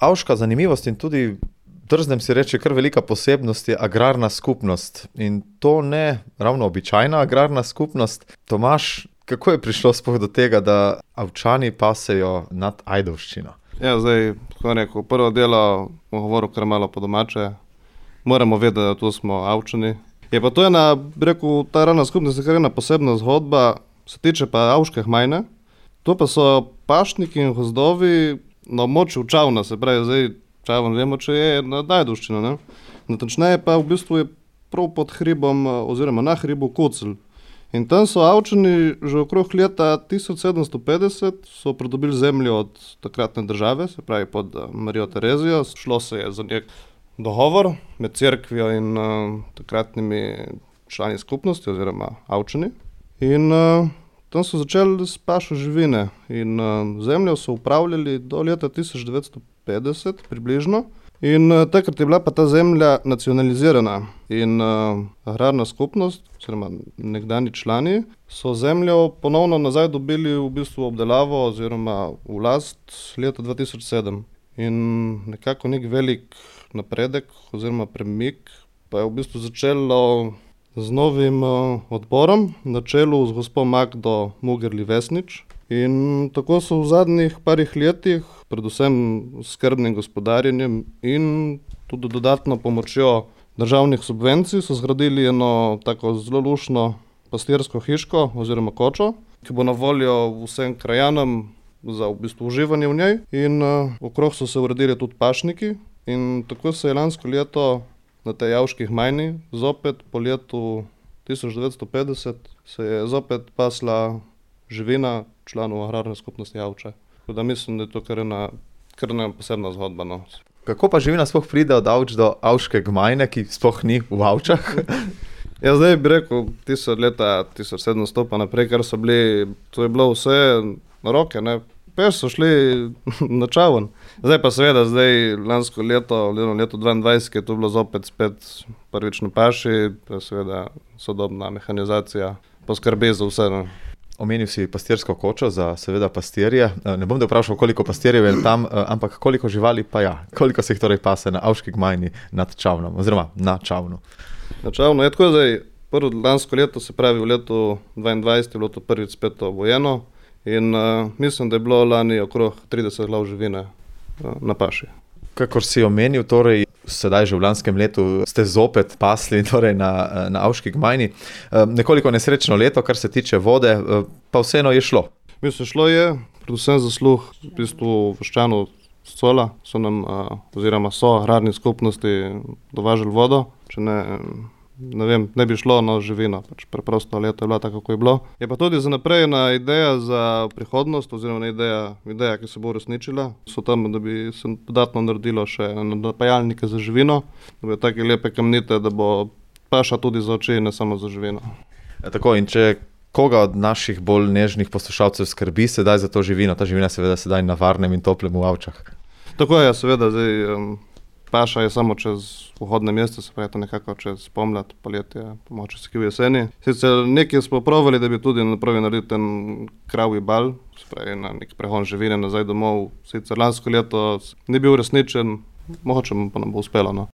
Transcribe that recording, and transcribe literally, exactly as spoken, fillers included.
Avška zanimivost in tudi, drznem si reči, kar velika posebnost je agrarna skupnost. In to ne ravno običajna agrarna skupnost. Tomaž, kako je prišlo sploh do tega, da Avčani pasejo nad Ajdovščino? Ja, zdaj, kako rekel, prvo delo bom govoril kar malo po domače. Moramo vedeti, da tu smo Avčani. Je pa to ena, bi rekel, ta agrarna skupnost je kar ena posebna zgodba, se tiče pa Avške gmajne. To pa so pašniki in gozdovi na območju Čavna, se pravi, zdaj Čavn vemo, če je nad Ajdovščino, ne. Natančneje pa v bistvu je prav pod hribom oziroma na hribu Kucelj. In tam so Avčani že okrog leta tisoč sedemsto petdeset so pridobili zemljo od takratne države, se pravi pod Marijo Terezijo. Šlo se je za nek dogovor med cerkvijo in uh, takratnimi člani skupnosti oziroma Avčani. In uh, tam so začeli s pašo živine in uh, zemljo so upravljali do leta tisoč devetsto petdeset približno. In uh, takrat je bila pa ta zemlja nacionalizirana in uh, agrarna skupnost, oziroma nekdani člani, so zemljo ponovno nazaj dobili v bistvu obdelavo oziroma v last leta dva tisoč sedem. In nekako nek velik napredek oziroma premik pa je v bistvu začelo z novim uh, odborom na čelu z gospo Magdo Mugerli-Vesnič. In tako so v zadnjih parih letih, predvsem skrbnim gospodarjenjem in tudi dodatno pomočjo državnih subvencij, so zgradili eno tako zelo lušno pastirsko hiško oziroma kočo, ki bo na voljo vsem krajanom za v bistvu uživanje v njej. In uh, okrog so se uredili tudi pašniki in tako se je lansko leto na tej Avški gmajni zopet po letu tisoč devetsto petdeset se je zopet pasla živina članov agrarne skupnosti Avče. Tako da mislim, da je to kar ena, kar ena posebna zgodba, no. Kako pa živina sploh pride od Avč do Avške gmajne, ki sploh ni v Avčah? Ja, zdaj bi rekel, tisoč leta tisoč sedemsto pa naprej, kar so bili, to je bilo vse na roke, ne. Peš so šli na Čavn. Zdaj pa seveda, zdaj lansko leto, leto dvaindvajset, je to bilo zopet spet prvič na paši, pa seveda sodobna mehanizacija poskrbi za vse, ne. Omenil si pastirsko kočo za seveda pastirje. Ne bom te vprašal, koliko pastirjev je tam, ampak koliko živali pa ja. Koliko se jih torej pase na Avški gmajni nad Čavnom, oziroma na Čavnu? Na Čavnu je tako zdaj, prvo lansko leto, se pravi v letu dvaindvajset je bilo to prvič spet obojeno in uh, mislim, da je bilo lani okrog trideset glav živine uh, na paši. Kakor si omenil, torej sedaj že v lanskem letu ste zopet pasli torej na, na Avški gmajni. Nekoliko nesrečno leto, kar se tiče vode, pa vseeno je šlo. Mislim, šlo je, predvsem zasluh v bistvu Vaščanov s Cola, so nam, oziroma so agrarni skupnosti dovažali vodo, če ne, ne vem, ne bi šlo na živino, pač preprosto leto je bilo tako, kako je bilo. Je pa tudi za naprej ena ideja za prihodnost, oziroma ideja, ideja, ki se bo uresničila. So tam, da bi se dodatno naredilo še napajalnike za živino, da bi take lepe kamnite, da bo paša tudi za oči, ne samo za živino. Ja, tako, in če koga od naših bolj nežnih poslušalcev skrbi sedaj za to živino, ta živina seveda sedaj na varnem in toplem v Avčah. Tako je, seveda, zdaj um, paša je samo čez vhodne mesta, se pravi to nekako čez pomlad, poletje, pomoče se v jeseni. Sicer nekaj smo provali, da bi tudi napravili narediti ten kravji bal, se pravi na nek prehod živine nazaj domov. Sicer lansko leto ni bil resničen, mogoče pa nam bo uspelo, no.